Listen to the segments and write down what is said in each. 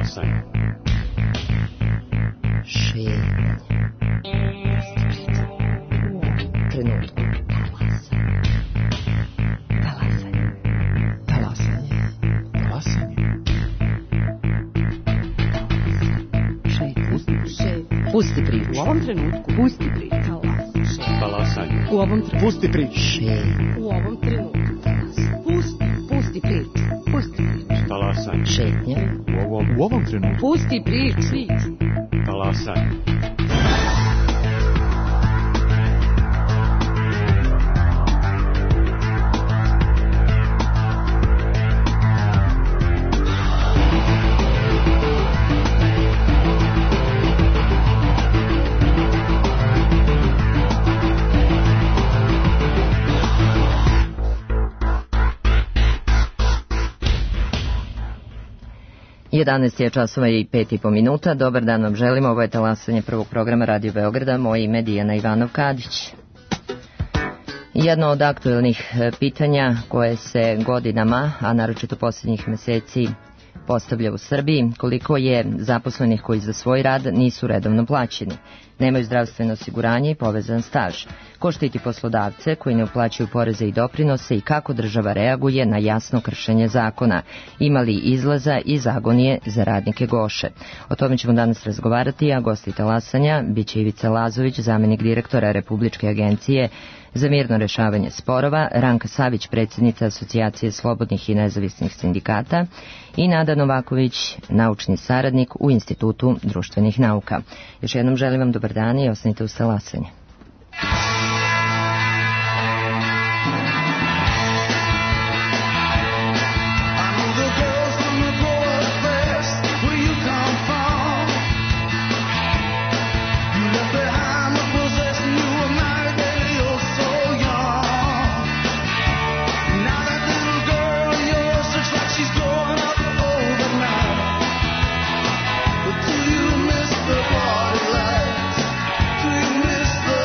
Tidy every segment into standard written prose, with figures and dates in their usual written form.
Talasanje. Šetnje. Trenutku. Talasanje. Talasanje. Talasanje. Pusti priču. U ovom trenutku. Pusti priču. Talasanje. U ovom trenutku. Pusti priču. U ovom trenutku. Pusti priču. Pusti priču. Talasanje. Šetnja. U ovom trenutku. Pusti priču. Talasanje. Jedanaest je časova i 5,5 minuta. Dobar dan vam želimo. Ovo je talasanje prvog programa Radio Beograda. Moje ime je Dijana Ivanov-Kadić. Jedno od aktuelnih pitanja koje se godinama, a naročito posljednjih meseci, postavlja u Srbiji, koliko je zaposlenih koji za svoj rad nisu redovno plaćeni, nemaju zdravstveno osiguranje i povezan staž. Ko štiti poslodavce koji ne uplaćuju poreze i doprinose i kako država reaguje na jasno kršenje zakona? Ima li izlaza iz agonije za radnike Goše? O tome ćemo danas razgovarati, a gosti talasanja biće Ivica Lazović, zamenik direktora Republičke agencije za mirno rešavanje sporova, Ranka Savić, predsjednica Asocijacije slobodnih i nezavisnih sindikata i Nada Novaković, naučni saradnik u Institutu društvenih nauka. Još jednom želim vam dobar dan i ostanite uz talasanje. Do you miss the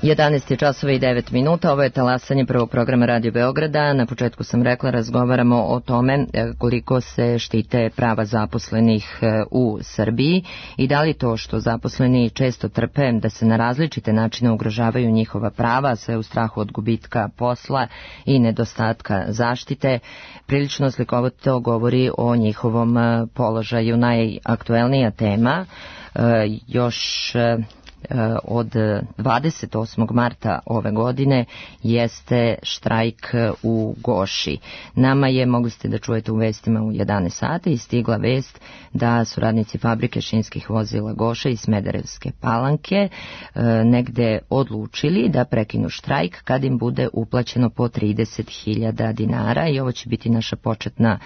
11 je časova i 9 minuta, ovo je talasanje prvog programa Radio Beograda. Na početku sam rekla, razgovaramo o tome koliko se štite prava zaposlenih u Srbiji i da li to što zaposleni često trpe da se na različite načine ugrožavaju njihova prava, sve u strahu od gubitka posla i nedostatka zaštite, prilično slikovito govori o njihovom položaju. Najaktuelnija tema još od 28. marta ove godine jeste štrajk u Goši. Nama je, mogli ste da čujete u vestima u 11 sati, i stigla vest da su radnici fabrike šinskih vozila Goša i Smederevske Palanke negde odlučili da prekinu štrajk kad im bude uplaćeno po 30.000 dinara, i ovo će biti naša početna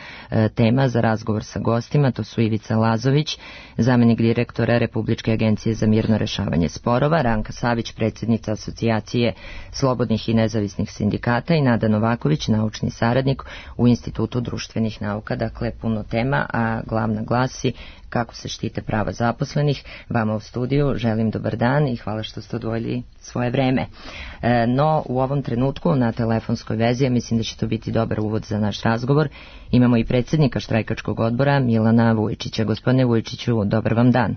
tema za razgovor sa gostima. To su Ivica Lazović, zamenik direktora Republičke agencije za mirno rešavanje sporova, Ranka Savić, predsjednica Asocijacije slobodnih i nezavisnih sindikata, i Nada Novaković, naučni saradnik u Institutu društvenih nauka. Dakle, puno tema, a glavna glasi kako se štite prava zaposlenih. Vama u studiju želim dobar dan i hvala što ste odvojili svoje vreme. No, u ovom trenutku na telefonskoj vezi, ja mislim da će to biti dobar uvod za naš razgovor, imamo i predsjednika štrajkačkog odbora Milana Vujčića. Gospodine Vujčiću, dobar vam dan.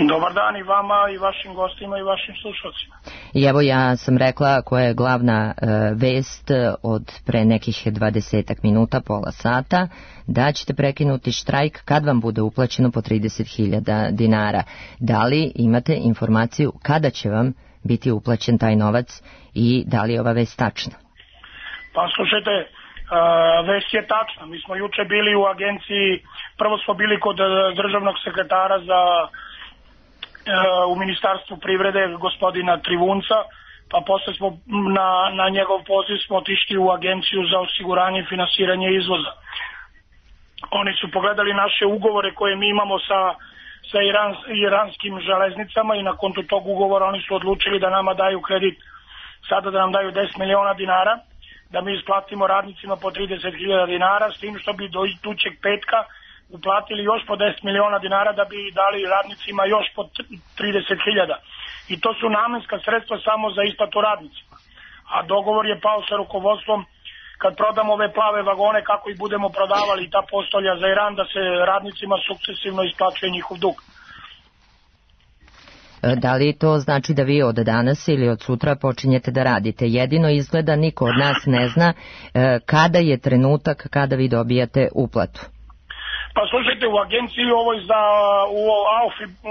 Dobar dan i vama i vašim gostima i vašim slušalcima. I evo, ja sam rekla koja je glavna vest od pre nekih 20 minuta, pola sata, da ćete prekinuti štrajk kad vam bude uplaćeno po 30.000 dinara. Da li imate informaciju kada će vam biti uplaćen taj novac i da li je ova vest tačna? Pa slušajte, vest je tačna. Mi smo juče bili u agenciji, prvo smo bili kod državnog sekretara u Ministarstvu privrede, gospodina Trivunca, pa posle smo na njegov poziv smo otišli u agenciju za osiguranje i finansiranje izvoza. Oni su pogledali naše ugovore koje mi imamo sa iranskim železnicama i na kontu tog ugovora oni su odlučili da nama daju kredit, sada da nam daju 10 miliona dinara, da mi isplatimo radnicima po 30.000 dinara, s tim što bi do idućeg petka uplatili još po 10 miliona dinara da bi dali radnicima još po 30.000. I to su namenska sredstva samo za isplatu radnicima. A dogovor je pao sa rukovodstvom kad prodamo ove plave vagone, kako ih budemo prodavali i ta postolja za Iran, da se radnicima sukcesivno isplaćuje njihov dug. Da li to znači da vi od danas ili od sutra počinjete da radite? Jedino izgleda niko od nas ne zna kada je trenutak kada vi dobijate uplatu. Pa slušajte, u agenciji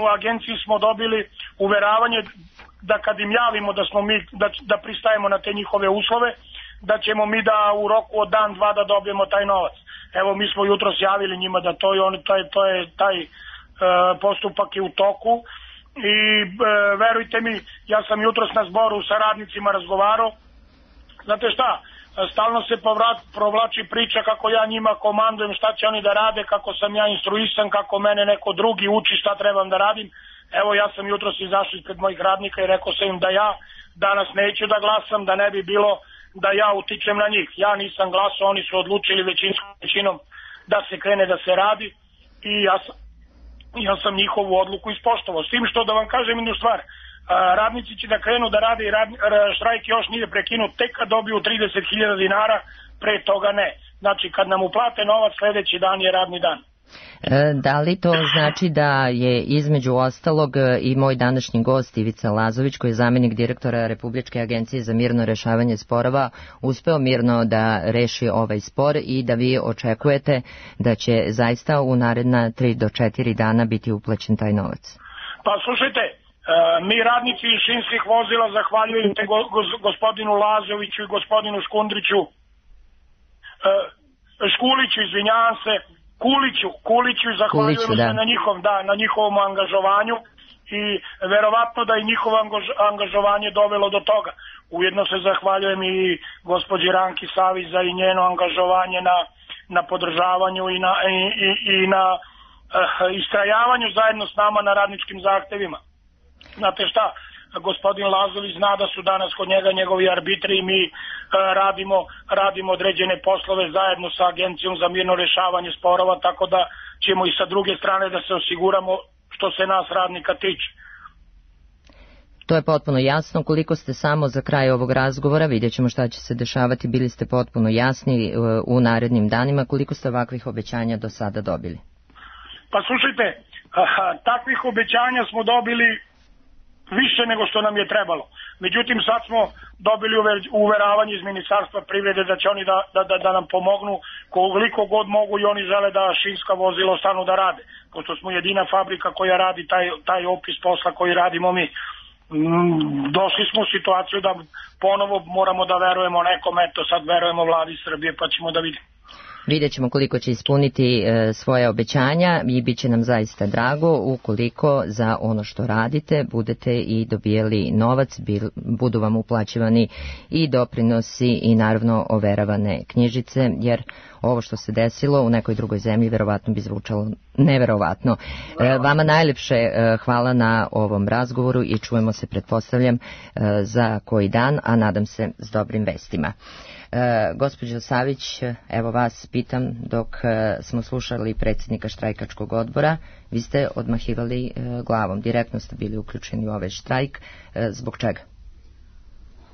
u agenciji smo dobili uveravanje da kad im javimo da smo mi da pristajemo na te njihove uslove, da ćemo mi da u roku od dan, dva da dobijemo taj novac. Evo, mi smo jutros javili njima da taj postupak je u toku i verujte mi, ja sam jutros na zboru sa radnicima razgovarao. Znate šta? Stalno se provlači priča kako ja njima komandujem šta će oni da rade, kako sam ja instruisan, kako mene neko drugi uči šta trebam da radim. Evo, ja sam jutros izašao ispred mojih radnika i rekao sam im da ja danas neću da glasam, da ne bi bilo da ja utičem na njih. Ja nisam glasao, oni su odlučili većinskom većinom da se krene da se radi i ja sam njihovu odluku ispoštovao. S tim što da vam kažem jednu stvar, radnici će da krenu da rade i štrajk još nije prekinut tek kad dobiju 30.000 dinara, pre toga ne. Znači kad nam uplate novac sledeći dan je radni dan. Da li to znači da je između ostalog i moj današnji gost Ivica Lazović, koji je zamenik direktora Republičke agencije za mirno rešavanje sporova, uspeo mirno da reši ovaj spor i da vi očekujete da će zaista u naredna 3 do 4 dana biti uplaćen taj novac? Pa slušajte, mi radnici šinskih vozila zahvaljujete gospodinu Lazoviću i gospodinu Škuliću, izvinjavam se, Kuliću, zahvaljujemo se na njihovom angažovanju i verovatno da je njihovo angažovanje dovelo do toga. Ujedno se zahvaljujem i gospođi Ranki Savić za i njeno angažovanje na podržavanju i na istrajavanju zajedno s nama na radničkim zahtevima. Znate šta, gospodin Lazović zna da su danas kod njega njegovi arbitri i mi radimo određene poslove zajedno sa Agencijom za mirno rešavanje sporova, tako da ćemo i sa druge strane da se osiguramo što se nas radnika tiče. To je potpuno jasno. Koliko ste samo za kraj ovog razgovora, vidjet ćemo šta će se dešavati, bili ste potpuno jasni u narednim danima, koliko ste ovakvih obećanja do sada dobili? Pa slušajte, takvih obećanja smo dobili više nego što nam je trebalo. Međutim, sad smo dobili uveravanje iz Ministarstva privrede da će oni da nam pomognu koliko god mogu i oni žele da šinska vozila ostanu da rade. Pošto smo jedina fabrika koja radi taj opis posla koji radimo mi. Došli smo u situaciju da ponovo moramo da verujemo nekom, eto sad verujemo vladi Srbije pa ćemo da vidimo. Vidjet ćemo koliko će ispuniti svoje obećanja i bit će nam zaista drago ukoliko za ono što radite budete i dobijeli novac, budu vam uplaćivani i doprinosi i naravno overavane knjižice, jer ovo što se desilo u nekoj drugoj zemlji verovatno bi zvučalo neverovatno. Vama najlepše hvala na ovom razgovoru i čujemo se, pretpostavljam, za koji dan, a nadam se s dobrim vestima. Gospođo Savić, evo vas pitam, dok smo slušali predsjednika štrajkačkog odbora, vi ste odmahivali glavom, direktno ste bili uključeni u ovaj štrajk, zbog čega?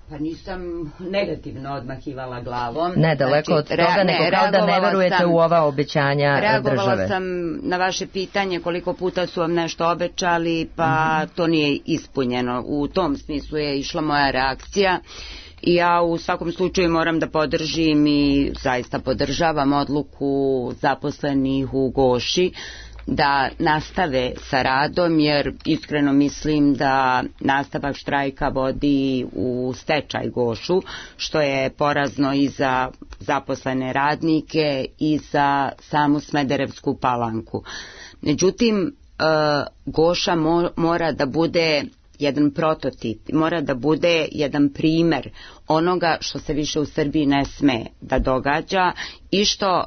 Pa nisam negativno odmahivala glavom. Ne, daleko od toga, nego kao da ne verujete u ova obećanja države. Reagovala sam na vaše pitanje koliko puta su vam nešto obećali, pa to nije ispunjeno. U tom smislu je išla moja reakcija. I ja u svakom slučaju moram da podržim i zaista podržavam odluku zaposlenih u Goši da nastave sa radom, jer iskreno mislim da nastavak štrajka vodi u stečaj Gošu, što je porazno i za zaposlene radnike i za samu Smederevsku Palanku. Međutim, Goša mora da bude jedan prototip, mora da bude jedan primer onoga što se više u Srbiji ne sme da događa i što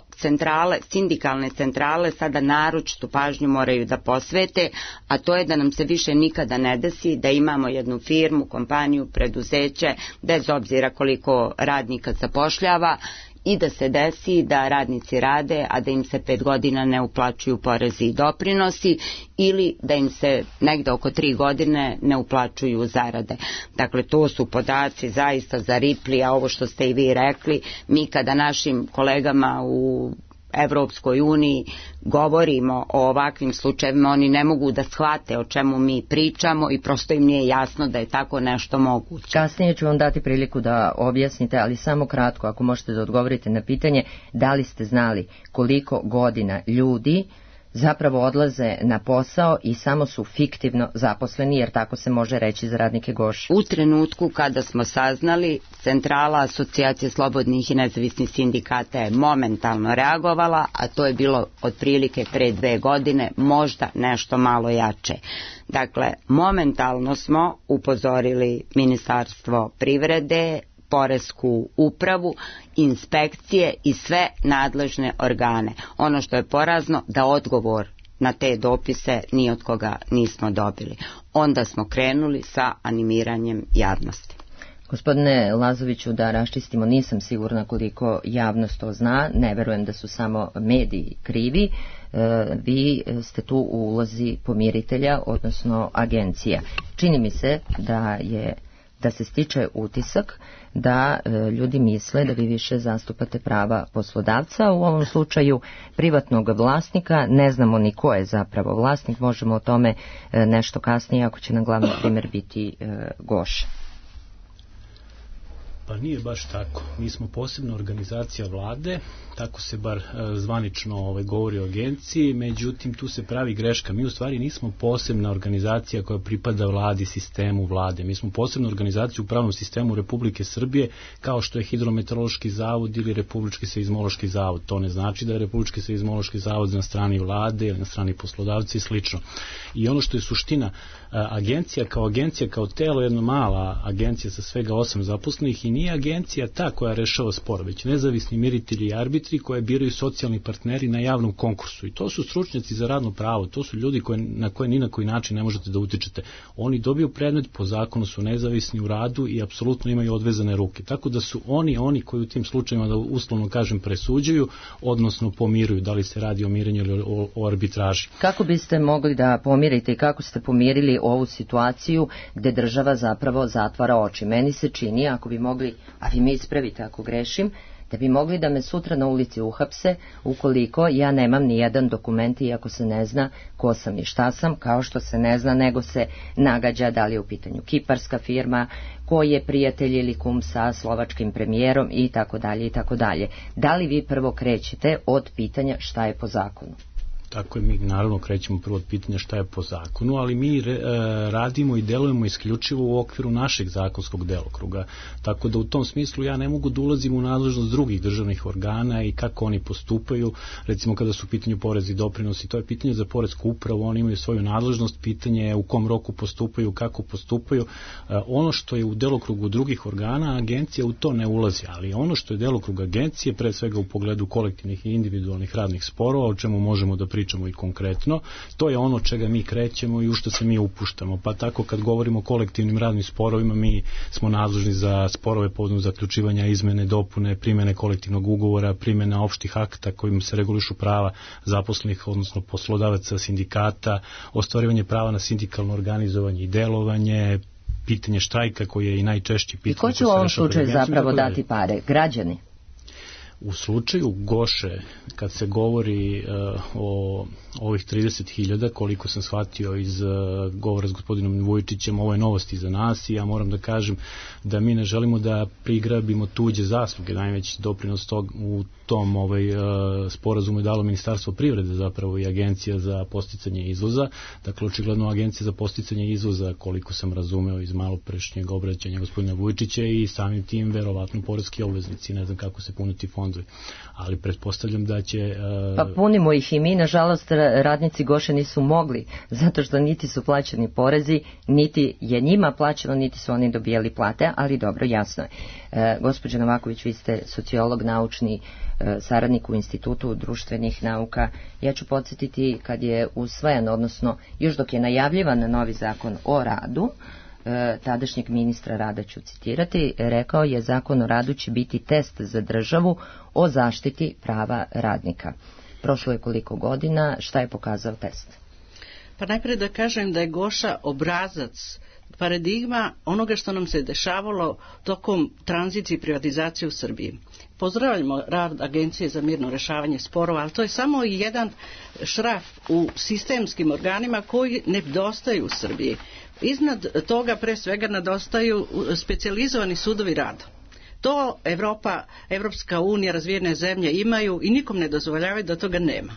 sindikalne centrale sada naročitu pažnju moraju da posvete, a to je da nam se više nikada ne desi da imamo jednu firmu, kompaniju, preduzeće, bez obzira koliko radnika zapošljava, i da se desi da radnici rade, a da im se 5 godina ne uplaćuju porezi i doprinosi, ili da im se negde oko 3 godine ne uplaćuju zarade. Dakle, to su podaci zaista za Ripley, a ovo što ste i vi rekli, mi kada našim kolegama u Evropskoj uniji govorimo o ovakvim slučajevima, oni ne mogu da shvate o čemu mi pričamo i prosto im nije jasno da je tako nešto moguće. Kasnije ću vam dati priliku da objasnite, ali samo kratko, ako možete da odgovorite na pitanje, da li ste znali koliko godina ljudi zapravo odlaze na posao i samo su fiktivno zaposleni, jer tako se može reći za radnike Goše? U trenutku kada smo saznali, centrala Asocijacije slobodnih i nezavisnih sindikata je momentalno reagovala, a to je bilo otprilike pre 2 godine, možda nešto malo jače. Dakle, momentalno smo upozorili Ministarstvo privrede, Poresku upravu, inspekcije i sve nadležne organe. Ono što je porazno, da odgovor na te dopise ni od koga nismo dobili. Onda smo krenuli sa animiranjem javnosti. Gospodine Lazoviću, da raščistimo, nisam sigurna koliko javnost to zna, ne verujem da su samo mediji krivi, vi ste tu u ulozi pomiritelja, odnosno agencija. Čini mi se da se stiče utisak da ljudi misle da vi više zastupate prava poslodavca, u ovom slučaju privatnog vlasnika. Ne znamo ni ko je zapravo vlasnik, možemo o tome nešto kasnije, ako će nam glavni primjer biti Goša. Pa nije baš tako. Mi smo posebna organizacija vlade, tako se bar zvanično govori o agenciji, međutim tu se pravi greška. Mi u stvari nismo posebna organizacija koja pripada vladi, sistemu vlade. Mi smo posebna organizacija u pravnom sistemu Republike Srbije, kao što je Hidrometeorološki zavod ili Republički seizmološki zavod. To ne znači da je Republički seizmološki zavod na strani vlade ili na strani poslodavca i slično. I ono što je suština, agencija kao telo, jedna mala agencija sa svega 8 zaposlenih, i nije agencija ta koja rešava spor, već nezavisni miritelji i arbitri koje biraju socijalni partneri na javnom konkursu. I to su stručnjaci za radno pravo, to su ljudi na koje ni na koji način ne možete da utičete. Oni dobiju predmet, po zakonu su nezavisni u radu i apsolutno imaju odvezane ruke. Tako da su oni koji u tim slučajima, da uslovno kažem, presuđuju, odnosno pomiruju, da li se radi o mirenju ili o arbitraži. Kako biste mogli da pomirite i kako ste pomirili ovu situaciju gde država zapravo zatvara oči? Meni se čini, ako bi mogli, a vi me ispravite ako grešim, da bi mogli da me sutra na ulici uhapse ukoliko ja nemam ni jedan dokument iako se ne zna ko sam i šta sam, kao što se ne zna nego se nagađa da li je u pitanju kiparska firma, ko je prijatelj ili kum sa slovačkim premijerom i tako dalje i tako dalje. Da li vi prvo krećete od pitanja šta je po zakonu? Tako je, mi naravno krećemo prvo od pitanja šta je po zakonu, ali mi radimo i delujemo isključivo u okviru našeg zakonskog delokruga. Tako da u tom smislu ja ne mogu da ulazim u nadležnost drugih državnih organa i kako oni postupaju. Recimo kada su u pitanju porezi i doprinosi, to je pitanje za poresku upravu, oni imaju svoju nadležnost, pitanje je u kom roku postupaju, kako postupaju. Ono što je u delokrugu drugih organa, agencija u to ne ulazi, ali ono što je delokrug agencije, pre svega u pogledu kolektivnih i individualnih radnih sporova, o čemu možemo da pričamo i konkretno, to je ono čega mi krećemo i u što se mi upuštamo. Pa tako kad govorimo o kolektivnim radnim sporovima, mi smo nadležni za sporove povodom zaključivanja, izmene, dopune, primene kolektivnog ugovora, primena opštih akta kojim se regulišu prava zaposlenih, odnosno poslodavaca, sindikata, ostvarivanje prava na sindikalno organizovanje i delovanje, pitanje štrajka koji je i najčešće pitanje. I ko će u ovom slučaju zapravo dati pare? Građani? U slučaju Goše, kad se govori o ovih 30.000, koliko sam shvatio iz govora s gospodinom Vujičićem, ovo je novosti za nas i ja moram da kažem da mi ne želimo da prigrabimo tuđe zasluge. Najveći doprinos u tom sporazumu je dalo Ministarstvo privrede zapravo i Agencija za podsticanje izvoza. Dakle, očigledno Agencija za podsticanje izvoza, koliko sam razumeo iz maloprešnjeg obraćanja gospodina Vujičića, i samim tim verovatno poreski obveznici, ne znam kako se puniti fondovi, ali pretpostavljam da će... Pa punimo ih i mi, nažalost radnici Goše nisu mogli, zato što niti su plaćeni porezi, niti je njima plaćeno, niti su oni dobijali plate, ali dobro, jasno je. Gospođo Novaković, vi ste sociolog, naučni saradnik u Institutu društvenih nauka. Ja ću podsjetiti kad je usvojen, odnosno još dok je najavljivan novi zakon o radu, tadašnjeg ministra rada ću citirati, rekao je zakon o radu će biti test za državu o zaštiti prava radnika. Prošlo je koliko godina, šta je pokazao test? Pa najprije da kažem da je Goša obrazac, paradigma onoga što nam se dešavalo tokom tranzicije i privatizacije u Srbiji. Pozdravljamo rad Agencije za mirno rešavanje sporova, ali to je samo jedan šraf u sistemskim organima koji nedostaju u Srbiji. Iznad toga pre svega nedostaju specijalizovani sudovi rada. To Evropska unija, razvijene zemlje imaju i nikom ne dozvoljavaju da toga nema.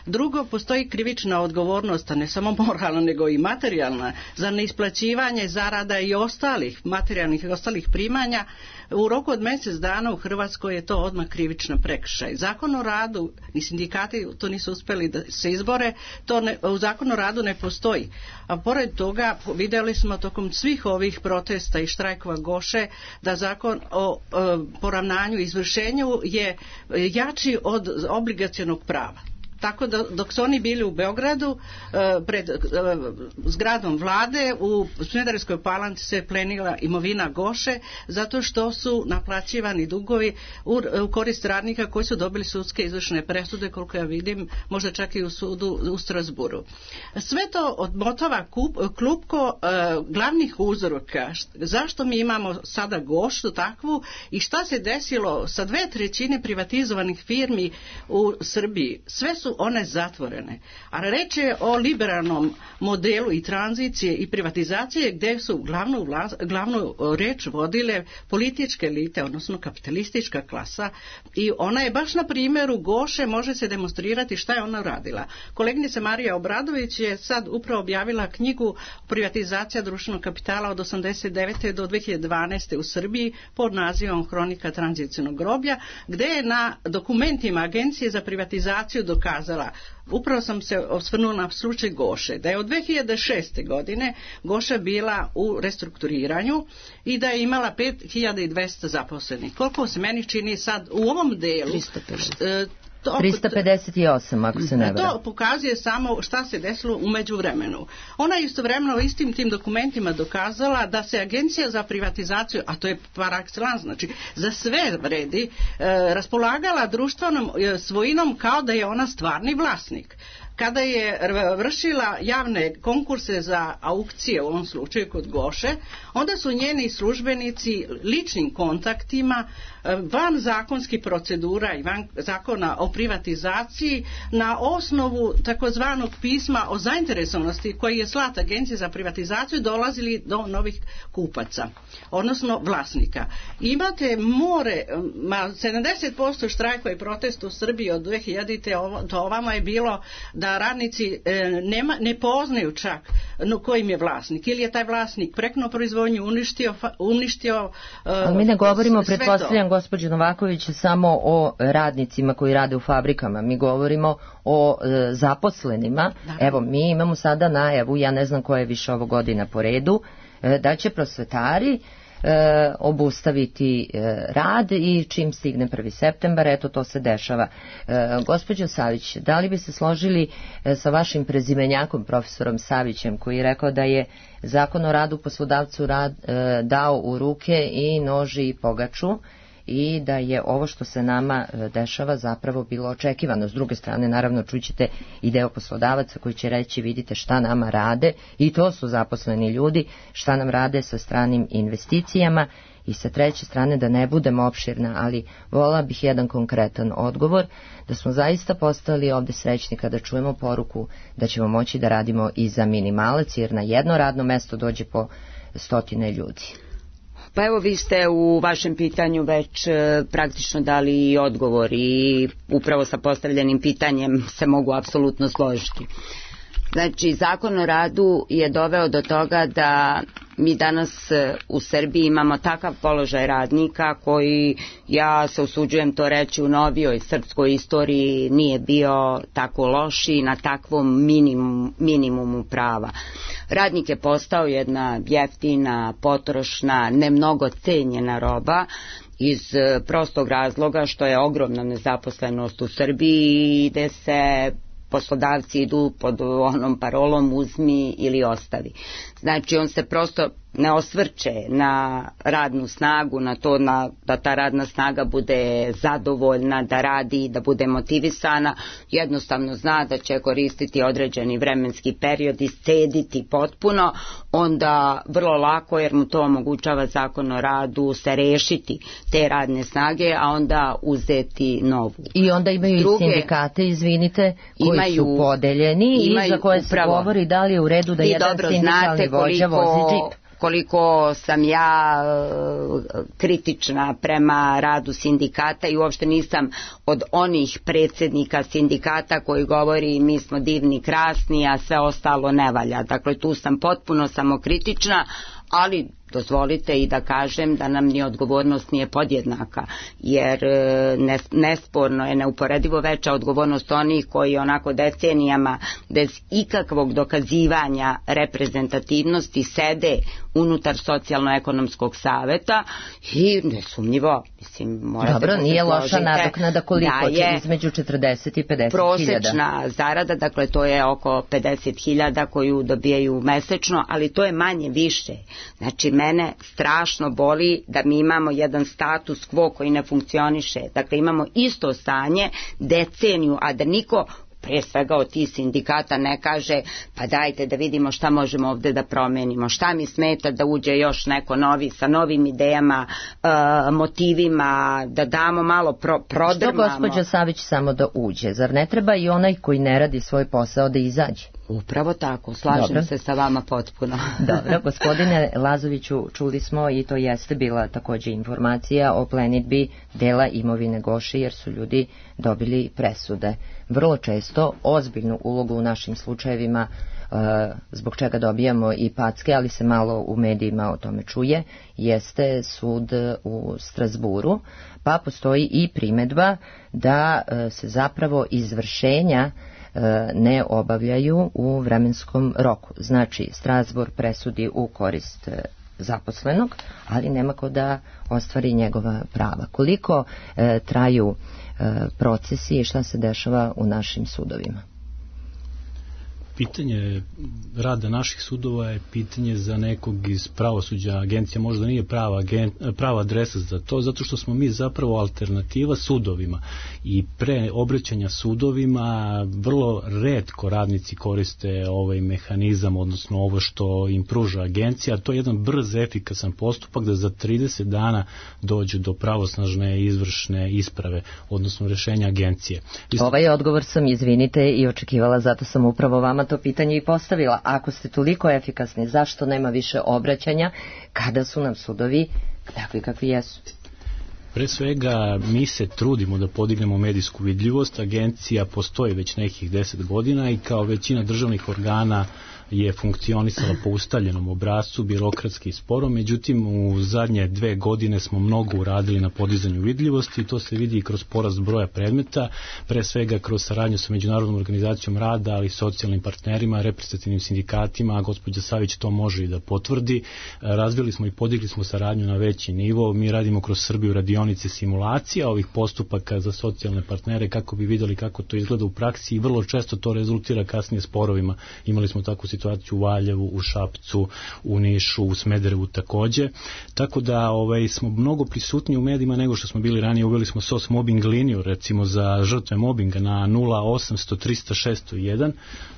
Drugo, postoji krivična odgovornost, a ne samo moralna, nego i materijalna, za neisplaćivanje zarada i ostalih materijalnih i ostalih primanja. U roku od mjesec dana u Hrvatskoj je to odmah krivična prekršaj. Zakon o radu, ni sindikati to nisu uspjeli da se izbore, u Zakonu o radu ne postoji. A pored toga vidjeli smo tokom svih ovih protesta i štrajkova Goše da zakon o poravnanju i izvršenju je jači od obligacionog prava. Tako da dok su oni bili u Beogradu pred zgradom vlade, u Smederevskoj Palanci se plenila imovina Goše zato što su naplaćivani dugovi u korist radnika koji su dobili sudske izvršne presude, koliko ja vidim, možda čak i u sudu u Strasburu. Sve to odmotava klupko glavnih uzroka. Zašto mi imamo sada Gošu takvu i šta se desilo sa 2/3 privatizovanih firmi u Srbiji? Sve su one zatvorene. A reč je o liberalnom modelu i tranzicije i privatizacije gdje su glavnu reč vodile političke elite, odnosno kapitalistička klasa, i ona je baš na primjeru Goše može se demonstrirati šta je ona radila. Koleginica Marija Obradović je sad upravo objavila knjigu Privatizacija društvenog kapitala od 1989. do 2012. u Srbiji pod nazivom Hronika tranzicionog groblja, gdje je na dokumentima Agencije za privatizaciju dokazano dokazala, upravo sam se osvrnula na slučaj Goše, da je od 2006. godine Goša bila u restrukturiranju i da je imala 5200 zaposlenih. Koliko se meni čini sad u ovom delu? 358, ako se ne varam. To pokazuje samo šta se desilo u međuvremenu. Ona je istovremeno istim tim dokumentima dokazala da se Agencija za privatizaciju, a to je par excellence, znači za sve vredi, raspolagala društvenom svojinom kao da je ona stvarni vlasnik. Kada je vršila javne konkurse za aukcije, u ovom slučaju kod Goše, onda su njeni službenici ličnim kontaktima, van zakonskih procedura i van zakona o privatizaciji, na osnovu takozvanog pisma o zainteresovanosti koji je slat Agencije za privatizaciju, dolazili do novih kupaca, odnosno vlasnika. Imate more, 70% štrajkova i protesta u Srbiji od 2000. do ovamo je bilo da radnici ne poznaju čak kojim je vlasnik. Ili je taj vlasnik preknuo proizvodnju, uništio ali mi ne govorimo, pretpostavljam, gospođo Novaković, samo o radnicima koji rade u fabrikama. Mi govorimo o zaposlenima. Da. Evo, mi imamo sada najavu, ja ne znam koja je više ovo godina po redu, da će prosvetari obustaviti rad i čim stigne 1. septembar, eto to se dešava. Gospođo Savić, da li bi se složili sa vašim prezimenjakom, profesorom Savićem, koji je rekao da je Zakon o radu poslodavcu dao u ruke i noži i pogaču, i da je ovo što se nama dešava zapravo bilo očekivano. S druge strane, naravno, čućete i deo poslodavaca koji će reći, vidite šta nama rade, i to su zaposleni ljudi, šta nam rade sa stranim investicijama. I sa treće strane, da ne budem opširna, ali volila bih jedan konkretan odgovor, da smo zaista postali ovde srećni kada čujemo poruku da ćemo moći da radimo i za minimalac, jer na jedno radno mesto dođe po 100 ljudi. Pa evo, vi ste u vašem pitanju već praktično dali odgovor i upravo sa postavljenim pitanjem se mogu apsolutno složiti. Znači, Zakon o radu je doveo do toga da mi danas u Srbiji imamo takav položaj radnika koji, ja se usuđujem to reći, u novijoj srpskoj istoriji nije bio tako loš i na takvom minimumu prava. Radnik je postao jedna jeftina, potrošna, ne mnogo cenjena roba, iz prostog razloga što je ogromna nezaposlenost u Srbiji i gde se poslodavci idu pod onom parolom uzmi ili ostavi. Znači, on se prosto ne osvrće na radnu snagu, na to da ta radna snaga bude zadovoljna, da radi, da bude motivisana, jednostavno zna da će koristiti određeni vremenski period i iscediti potpuno, onda vrlo lako, jer mu to omogućava Zakon o radu, se rešiti te radne snage, a onda uzeti novu. I onda imaju i sindikate, izvinite, koji su podeljeni i za koje se govori da li je u redu da jedan sindikalni vođa vozi džip. Koliko sam ja kritična prema radu sindikata i uopšte nisam od onih predsjednika sindikata koji govori mi smo divni, krasni, a sve ostalo ne valja. Dakle, tu sam potpuno samokritična, ali dozvolite i da kažem da nam ni odgovornost nije podjednaka, jer nesporno je neuporedivo veća odgovornost onih koji onako decenijama bez ikakvog dokazivanja reprezentativnosti sede unutar socijalno-ekonomskog saveta i nesumnjivo, mislim, morate dobro, nije loša nadoknada koliko će između 40 i 50 prosečna zarada, dakle to je oko 50.000 koju dobijaju mesečno, ali to je manje više. Znači, mene strašno boli da mi imamo jedan status quo koji ne funkcioniše. Dakle, imamo isto stanje deceniju, a da niko, prije svega od tih sindikata, ne kaže pa dajte da vidimo šta možemo ovde da promenimo, šta mi smeta da uđe još neko novi, sa novim idejama, motivima, da damo malo prodrmamo. Što gospođa Savić samo da uđe? Zar ne treba i onaj koji ne radi svoj posao da izađe? Upravo tako, slažem se sa vama potpuno. Dobro, gospodine Lazoviću, čuli smo i to jeste bila takođe informacija o plenidbi dela imovine Goše, jer su ljudi dobili presude. Vrlo često ozbiljnu ulogu u našim slučajevima zbog čega dobijamo i packe, ali se malo u medijima o tome čuje, jeste sud u Strasburu, pa postoji i primedba da se zapravo izvršenja ne obavljaju u vremenskom roku. Znači, Strasbourg presudi u korist zaposlenog, ali nema ko da ostvari njegova prava. Koliko traju procesi i šta se dešava u našim sudovima? Pitanje rada naših sudova je pitanje za nekog iz pravosuđa. Agencija možda nije prava adresa za to, zato što smo mi zapravo alternativa sudovima i pre obraćanja sudovima vrlo retko radnici koriste ovaj mehanizam, odnosno ovo što im pruža agencija, a to je jedan brz, efikasan postupak da za 30 dana dođu do pravosnažne izvršne isprave, odnosno rešenja agencije. Ovaj odgovor sam, izvinite, i očekivala, zato sam upravo vama to pitanje i postavila. Ako ste toliko efikasni, zašto nema više obraćanja kada su nam sudovi takvi kakvi jesu? Pre svega, mi se trudimo da podignemo medijsku vidljivost. Agencija postoji već nekih 10 godina i kao većina državnih organa je funkcionisala po ustaljenom obrascu, birokratski i sporo, međutim u zadnje 2 godine smo mnogo uradili na podizanju vidljivosti i to se vidi i kroz porast broja predmeta, pre svega kroz saradnju sa Međunarodnom organizacijom rada, ali i socijalnim partnerima, reprezentativnim sindikatima, a gospođa Savić to može i da potvrdi. Razvili smo i podigli smo saradnju na veći nivo, mi radimo kroz Srbiju radionice simulacija ovih postupaka za socijalne partnere kako bi videli kako to izgleda u praksi i vrlo često to rezultira kasnije sporovima. Imali smo takvu situaciju u Valjevu, u Šapcu, u Nišu, u Smederevu takođe. Tako da smo mnogo prisutni u medijima nego što smo bili ranije. Uveli smo SOS mobbing liniju, recimo za žrtve mobinga na 0800 300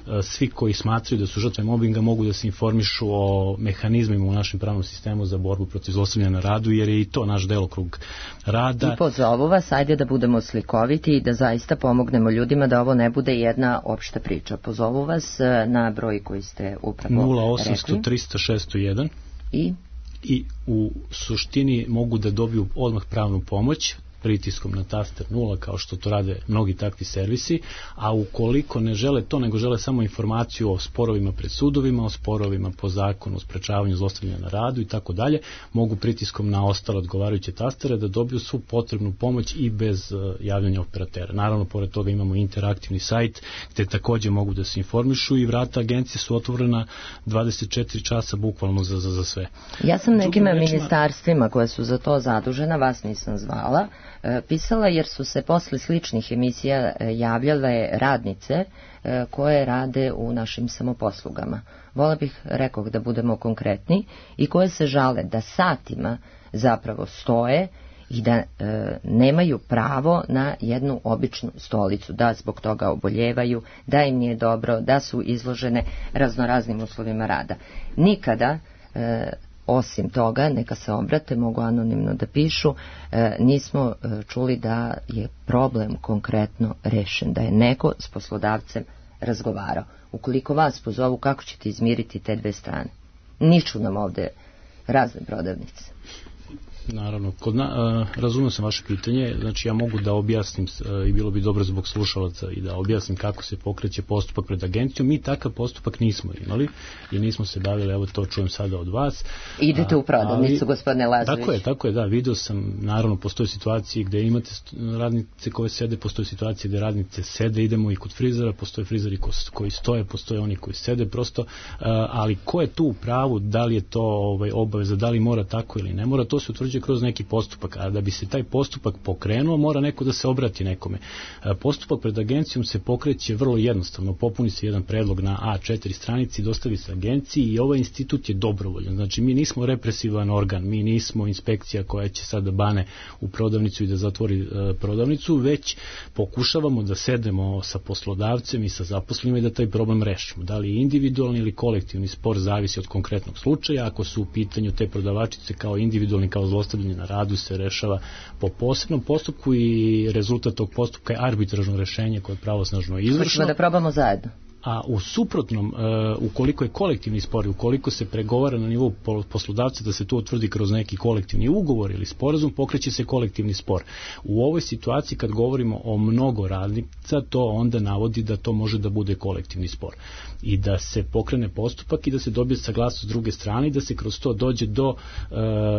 601. Svi koji smatraju da su žrtve mobinga mogu da se informišu o mehanizmima u našem pravnom sistemu za borbu protiv zlostavljanja na radu, jer je i to naš delokrug rada. I pozovu vas, ajde da budemo slikoviti i da zaista pomognemo ljudima da ovo ne bude jedna opšta priča. Pozovu vas na broj koji ste upravo 0800 300 601 i u suštini mogu da dobiju odmah pravnu pomoć pritiskom na taster 0, kao što to rade mnogi takvi servisi, a ukoliko ne žele to, nego žele samo informaciju o sporovima pred sudovima, o sporovima po zakonu o sprečavanju zlostavljanja na radu i tako dalje, mogu pritiskom na ostale odgovarajuće tastere da dobiju svu potrebnu pomoć i bez javljanja operatera. Naravno, pored toga imamo interaktivni sajt gde takođe mogu da se informišu i vrata agencije su otvorena 24 časa bukvalno za sve. Ja sam nekim ministarstvima koje su za to zadužena, vas nisam zvala, pisala jer su se posle sličnih emisija javljale radnice koje rade u našim samoposlugama. Vola bih, rekoh, da budemo konkretni, i koje se žale da satima zapravo stoje i da nemaju pravo na jednu običnu stolicu, da zbog toga oboljevaju, da im nije dobro, da su izložene raznoraznim uslovima rada. Nikada osim toga, neka se obrate, mogu anonimno da pišu, nismo čuli da je problem konkretno rešen, da je neko s poslodavcem razgovarao. Ukoliko vas pozovu, kako ćete izmiriti te dve strane? Niču nam ovde razne prodavnice. Naravno, razumio sam vaše pitanje, znači ja mogu da objasnim i bilo bi dobro zbog slušalaca i da objasnim kako se pokreće postupak pred agencijom. Mi takav postupak nismo imali i nismo se bavili, evo to čujem sada od vas. Idete u prodavnicu, gospodine Lazović. Tako je, da, vidio sam, naravno postoje situacije gde imate radnice koje sede, postoje situacije gde radnice sede, idemo i kod frizera, postoje frizeri koji stoje, postoje oni koji sede, prosto, ali ko je tu u pravu, da li je to obaveza, da li mora tako ili ne mora, to se utvrđuje kroz neki postupak, a da bi se taj postupak pokrenuo, mora neko da se obrati nekome. Postupak pred agencijom se pokreće vrlo jednostavno, popuni se jedan predlog na A4 stranici, dostavi se agenciji i ovaj institut je dobrovoljan. Znači, mi nismo represivan organ, mi nismo inspekcija koja će sada bane u prodavnicu i da zatvori prodavnicu, već pokušavamo da sedemo sa poslodavcem i sa zaposlenima i da taj problem rešimo. Da li je individualni ili kolektivni spor zavisi od konkretnog slučaja. Ako su u pitanju te prodavačice kao individualni, kao zlostavljanje na radu, se rešava po posebnom postupku i rezultat tog postupka je arbitražno rešenje koje je pravosnažno izvršno. Hoćemo da probamo zajedno. a u suprotnom, ukoliko je kolektivni spor, ukoliko se pregovara na nivou poslodavca da se to utvrdi kroz neki kolektivni ugovor ili sporazum, pokreće se kolektivni spor. U ovoj situaciji kad govorimo o mnogo radnica, to onda navodi da to može da bude kolektivni spor i da se pokrene postupak i da se dobije saglasnost s druge strane i da se kroz to dođe do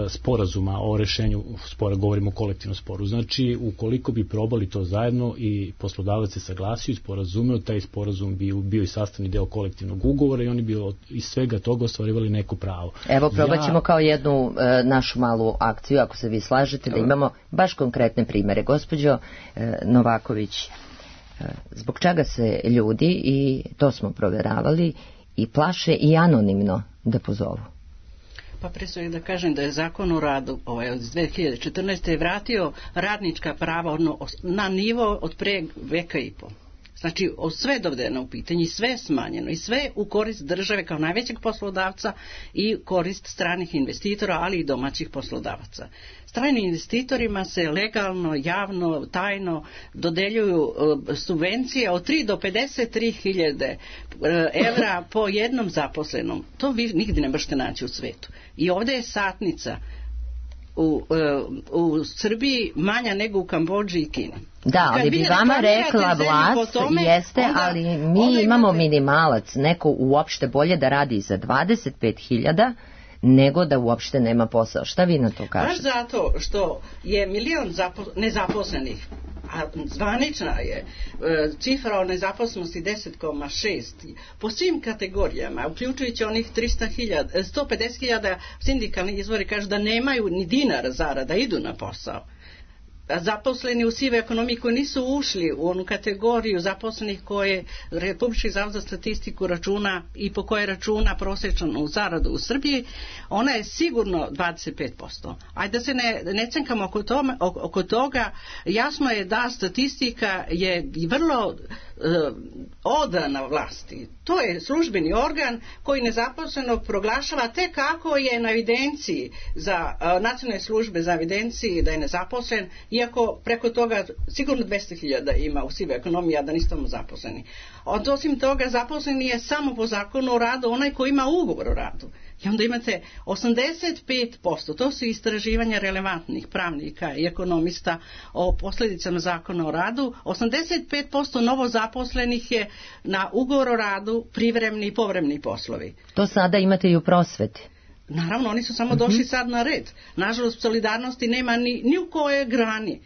sporazuma o rešenju spora, govorimo o kolektivnom sporu. Znači, ukoliko bi probali to zajedno i poslodavac se saglasio i sporazumeo, taj sporazum bi bio i sastavni deo kolektivnog ugovora i oni bi iz svega toga ostvarivali neko pravo. Evo, probat ćemo kao jednu našu malu akciju, ako se vi slažete, da imamo baš konkretne primere. Gospođo Novaković, zbog čega se ljudi, i to smo proveravali, i plaše i anonimno da pozovu? Pa pre svega da kažem da je Zakon o radu iz 2014. vratio radnička prava na nivo od pre veka i po. Znači, sve dovedeno u pitanje, sve je smanjeno i sve u korist države kao najvećeg poslodavca i korist stranih investitora, ali i domaćih poslodavaca. Stranim investitorima se legalno, javno, tajno dodeljuju subvencije od 3 do 53.000 evra po jednom zaposlenom. To vi nigdje ne možete naći u svetu. I ovdje je satnica u Srbiji manja nego u Kambodži i Kini. Da, ali bi vama rekla vlast, jeste, ali mi imamo minimalac, neko uopšte bolje da radi za 25.000 nego da uopšte nema posao. Šta vi na to kažete? Baš zato što je milion nezaposlenih, a zvanična je cifra o nezaposlenosti 10,6 po svim kategorijama, uključujući onih 150.000 sindikalni izvori kažu da nemaju ni dinara zarada, idu na posao. Zaposleni u sive ekonomiji koji nisu ušli u onu kategoriju zaposlenih koje Republički zavod za statistiku računa i po koje računa prosječnu zaradu u Srbiji, ona je sigurno 25%. Ajde da se ne cenkamo oko toga, jasno je da statistika je vrlo odana vlasti. To je službeni organ koji nezaposlenog proglašava tek kako je na evidenciji za nacionalne službe za evidenciji da je nezaposlen, iako preko toga sigurno 200.000 ima u sivoj ekonomiji, a da nisu tamo zaposleni. Osim toga, zaposleni je samo po Zakonu o radu onaj koji ima ugovor o radu. I onda imate 85%, to su istraživanja relevantnih pravnika i ekonomista o posljedicama Zakona o radu, 85% novozaposlenih je na ugovor o radu, privremeni i povremeni poslovi. To sada imate i u prosveti. Naravno, oni su samo došli sad na red. Nažalost, solidarnosti nema ni u kojoj grani.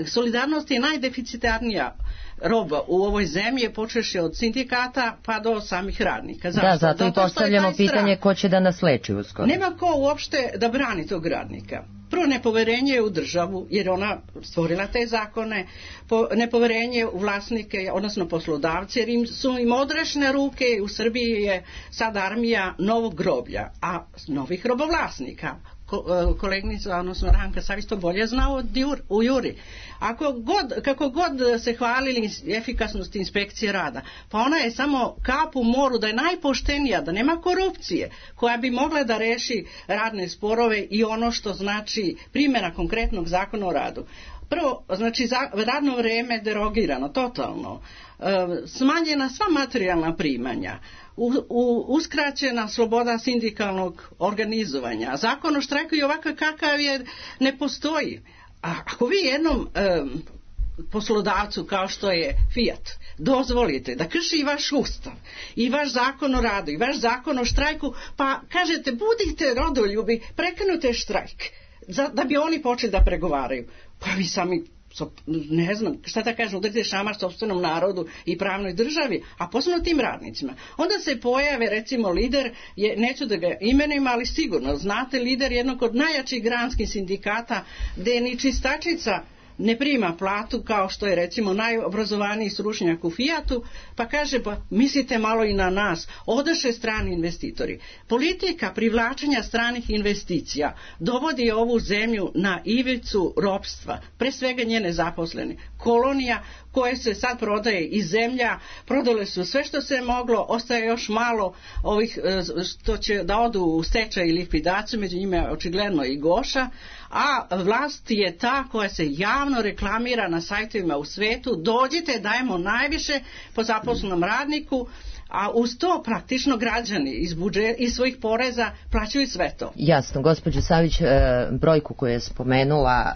Solidarnost je najdeficitarnija roba u ovoj zemlji, počeši od sindikata pa do samih radnika. Zašto? Da, zato i postavljamo pitanje ko će da nas leči uskoro. Nema ko uopšte da brani tog radnika. Prvo, nepoverenje u državu, jer ona stvorila te zakone, nepoverenje u vlasnike, odnosno poslodavce, jer su im odrešene ruke. U Srbiji je sad armija novog groblja, a novih robovlasnika. Kolegnica, odnosno Ranka Savić to bolje znao u Juri. Kako god se hvalili efikasnosti inspekcije rada, pa ona je samo kap u moru, da je najpoštenija, da nema korupcije koja bi mogla da reši radne sporove i ono što znači primjena konkretnog zakona o radu. Prvo, znači radno vreme derogirano totalno, smanjena sva materijalna primanja, uskraćena sloboda sindikalnog organizovanja, zakon o štrajku i ovakav kakav je ne postoji. A ako vi jednom poslodavcu kao što je Fiat dozvolite da krši i vaš ustav i vaš zakon o radu i vaš zakon o štrajku, pa kažete budite rodoljubi, prekinute štrajk da bi oni počeli da pregovaraju, pa vi sami ne znam šta da kažem, udrite šamar sopstvenom narodu i pravnoj državi, a posebno tim radnicima. Onda se pojave recimo lider, neću da ga imenujem, ali sigurno znate, lider jednog od najjačih granskih sindikata gde ni čistačica ne prima platu kao što je recimo najobrazovaniji stručnjak u Fiatu, pa kaže pa mislite malo i na nas, odaše strani investitori. Politika privlačenja stranih investicija dovodi ovu zemlju na ivicu ropstva, pre svega njene zaposlene. Kolonija koje se sad prodaje iz zemlja, prodale su sve što se moglo, ostaje još malo ovih što će da odu u stečaj i likvidaciju, među njima je očigledno i Goša, a vlast je ta koja se javno reklamira na sajtovima u svetu, dođite, dajemo najviše po zaposlenom radniku, a uz to praktično građani iz svojih poreza plaćaju sve to. Jasno, gospođo Savić, brojku koju je spomenula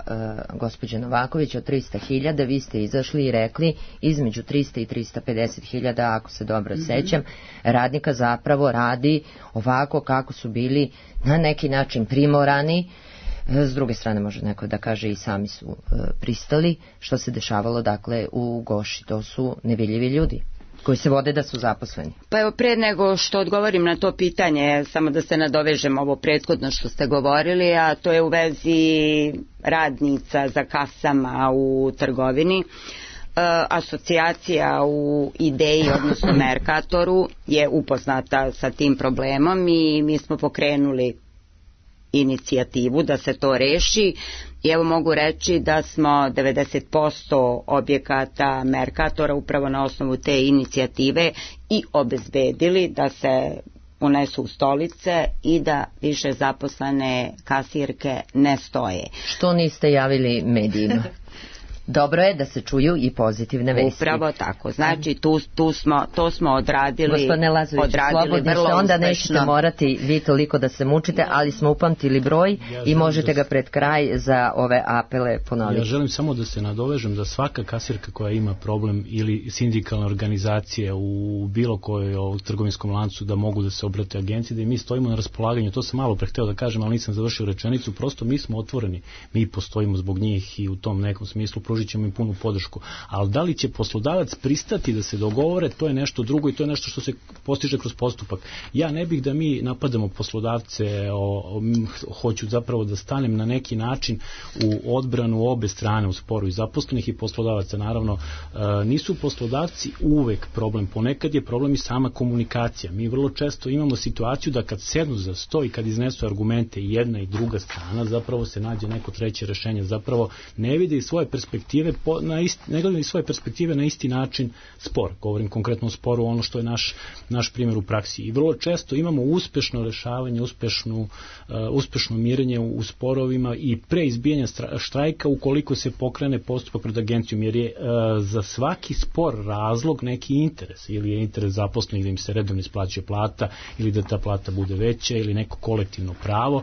gospođa Novaković od 300.000, vi ste izašli i rekli između 300 i 350.000, ako se dobro sećam, radnika zapravo radi ovako kako su bili na neki način primorani. S druge strane može neko da kaže i sami su pristali, što se dešavalo dakle u Goši. To su nevidljivi ljudi koji se vode da su zaposleni. Pa evo, pre nego što odgovorim na to pitanje, samo da se nadovežem ovo prethodno što ste govorili, a to je u vezi radnica za kasama u trgovini. Asocijacija u Ideji, odnosno Merkatoru, je upoznata sa tim problemom i mi smo pokrenuli inicijativu da se to reši i evo mogu reći da smo 90% objekata Merkatora upravo na osnovu te inicijative i obezbedili da se unesu u stolice i da više zaposlene kasirke ne stoje. Što niste javili medijima? Dobro je da se čuju i pozitivne vesti. Upravo tako. Znači, to smo odradili. Gospodine Lazović, slobodni ste, onda nećete morati vi toliko da se mučite, ali smo upamtili broj i možete ga pred kraj za ove apele ponoviti. Ja želim samo da se nadovežem da svaka kasirka koja ima problem ili sindikalna organizacija u bilo kojoj trgovinskom lancu da mogu da se obrate agenciji, da i mi stojimo na raspolaganju. To sam malo prehteo da kažem, ali nisam završio rečenicu. Prosto mi smo otvoreni. Mi postojimo zbog njih i u tom nekom smislu pružit ćemo im punu podršku. Ali da li će poslodavac pristati da se dogovore, to je nešto drugo i to je nešto što se postiže kroz postupak. Ja ne bih da mi napadamo poslodavce, hoću zapravo da stanem na neki način u odbranu obe strane u sporu i zaposlenih i poslodavaca. Naravno, nisu poslodavci uvek problem, ponekad je problem i sama komunikacija. Mi vrlo često imamo situaciju da kad sednu za sto i kad iznesu argumente i jedna i druga strana, zapravo se nađe neko treće rešenje. Zapravo ne vide svoje perspektive ne gledaju svoje perspektive na isti način spor. Govorim konkretno o sporu, ono što je naš primjer u praksi. I vrlo često imamo uspešno rešavanje, uspešno mirenje u sporovima i pre izbijanja štrajka ukoliko se pokrene postupak pred agencijom, jer je za svaki spor razlog neki interes. Ili je interes zaposlenih da im se redovno isplaćuje plata, ili da ta plata bude veća, ili neko kolektivno pravo.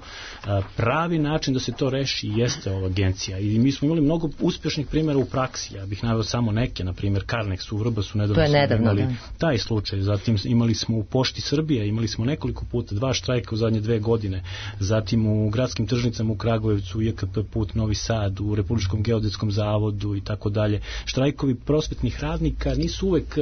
Pravi način da se to reši jeste ova agencija. I mi smo imali mnogo uspešnih primjera u praksi. Ja bih naveo samo neke, na primjer Karnex u Vrbasu, nedavno imali taj slučaj. Zatim imali smo u Pošti Srbije, imali smo nekoliko puta 2 štrajka u zadnje 2 godine. Zatim u gradskim tržnicama u Kragujevcu, u JKP put Novi Sad, u Republičkom geodetskom zavodu i tako dalje. Štrajkovi prosvetnih radnika nisu uvek,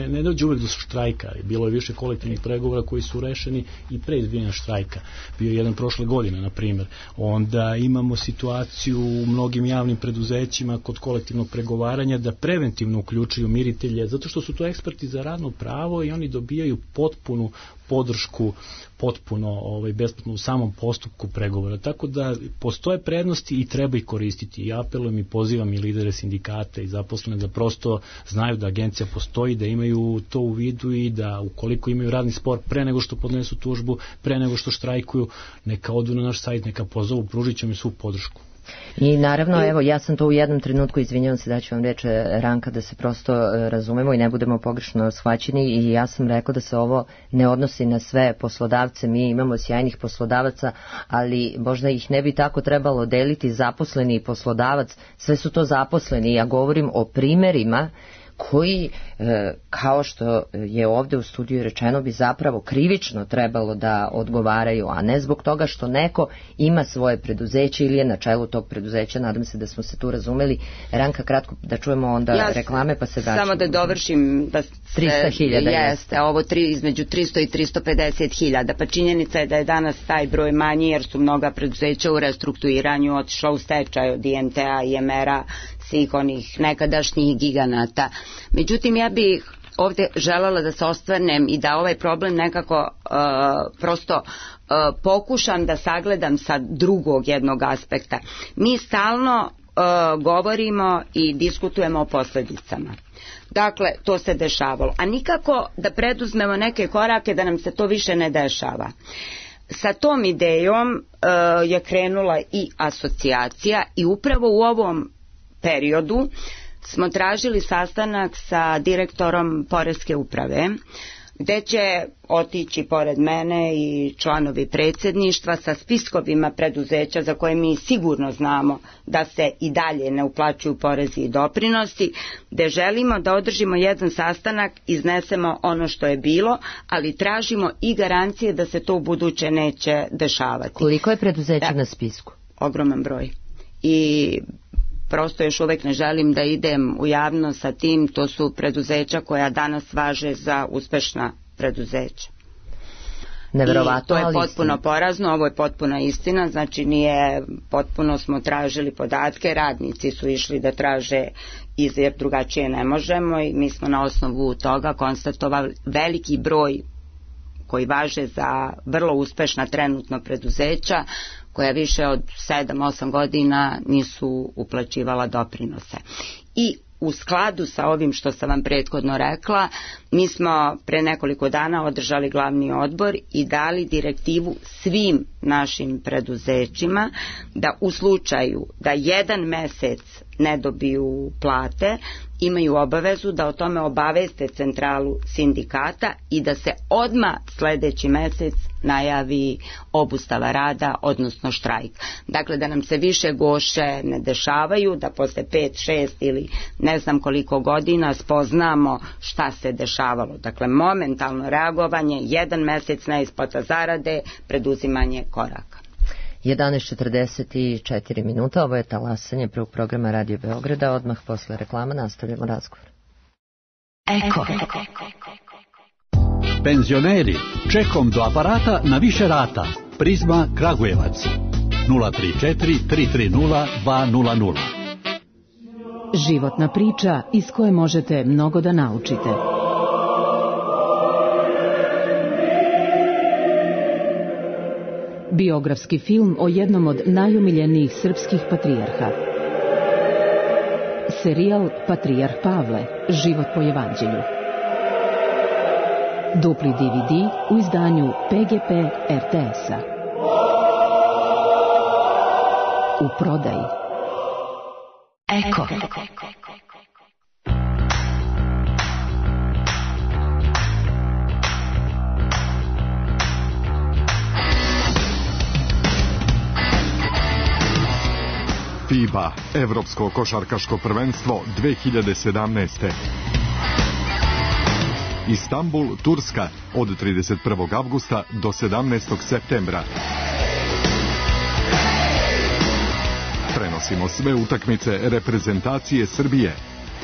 ne dođe uvek do štrajka. Bilo je više kolektivnih pregovora koji su rešeni i pre izbijanja štrajka. Bio je jedan prošle godine, na primjer. Onda imamo situaciju u mnogim javnim preduzećima kod kolektivnog pregovaranja da preventivno uključuju miritelje, zato što su to eksperti za radno pravo i oni dobijaju potpunu podršku, potpuno besplatno u samom postupku pregovora. Tako da postoje prednosti i treba ih koristiti. I apelujem i pozivam i lidere sindikata i zaposlene da prosto znaju da agencija postoji, da imaju to u vidu i da ukoliko imaju radni spor pre nego što podnesu tužbu, pre nego što štrajkuju, neka odu na naš sajt, neka pozovu, pružit ćemo im svu podršku. I naravno, evo, ja sam to u jednom trenutku, izvinjavam se da ću vam reći, Ranka, da se prosto razumemo i ne budemo pogrešno shvaćeni, i ja sam rekla da se ovo ne odnosi na sve poslodavce. Mi imamo sjajnih poslodavaca, ali možda ih ne bi tako trebalo deliti zaposleni i poslodavac. Sve su to zaposleni. Ja govorim o primerima koji, kao što je ovdje u studiju rečeno, bi zapravo krivično trebalo da odgovaraju, a ne zbog toga što neko ima svoje preduzeće ili je na čelu tog preduzeća. Nadam se da smo se tu razumeli. Ranka, kratko da čujemo onda reklame pa se vraćamo. Samo da dovršim da 300.000 jeste, ovo između 300 i 350.000, pa činjenica je da je danas taj broj manji jer su mnoga preduzeća u restrukturiranju otišla u stečaj od IMT-a, IMR-a, svih onih nekadašnjih giganata. Međutim, ja bih ovdje željela da se ostvarnem i da ovaj problem nekako prosto pokušam da sagledam sa drugog jednog aspekta. Mi stalno govorimo i diskutujemo o posljedicama. Dakle, to se dešavalo. A nikako da preduzmemo neke korake da nam se to više ne dešava. Sa tom idejom je krenula i asocijacija i upravo u ovom periodu smo tražili sastanak sa direktorom Poreske uprave, gde će otići pored mene i članovi predsjedništva sa spiskovima preduzeća za koje mi sigurno znamo da se i dalje ne uplaćuju porezi i doprinosi, gde želimo da održimo jedan sastanak, iznesemo ono što je bilo, ali tražimo i garancije da se to u buduće neće dešavati. Koliko je preduzeća na spisku? Ogroman broj. I prosto još uvek ne želim da idem u javnost sa tim, to su preduzeća koja danas važe za uspešna preduzeća. Neverovatno, to je potpuno porazno, ovo je potpuna istina, znači nije, potpuno smo tražili podatke, radnici su išli da traže jer drugačije ne možemo i mi smo na osnovu toga konstatovali veliki broj koji važe za vrlo uspešna trenutno preduzeća koja više od 7-8 godina nisu uplaćivala doprinose. I u skladu sa ovim što sam vam prethodno rekla, mi smo pre nekoliko dana održali glavni odbor i dali direktivu svim našim preduzećima da u slučaju da jedan mesec ne dobiju plate, imaju obavezu da o tome obaveste centralu sindikata i da se odmah sledeći mesec najavi obustava rada, odnosno štrajk. Dakle, da nam se više goše ne dešavaju, da posle 5, 6 ili ne znam koliko godina spoznamo šta se dešavalo. Dakle, momentalno reagovanje, jedan mesec neisplata zarade, preduzimanje koraka. 11:44 minuta, ovo je talasanje prvog programa Radio Beograda, odmah posle reklama nastavljamo razgovor. Eko. Penzioneri, čekom do aparata na više rata. Prizma Kragujevac 034 330 200. Životna priča iz koje možete mnogo da naučite. Biografski film o jednom od najomiljenijih srpskih patrijarha. Serijal Patrijarh Pavle, život po evanđelju. Dupli DVD u izdanju PGP RTS-a. U prodaji. Eko. FIBA, Evropsko košarkaško prvenstvo 2017. Istanbul, Turska, od 31. avgusta do 17. septembra. Prenosimo sve utakmice reprezentacije Srbije.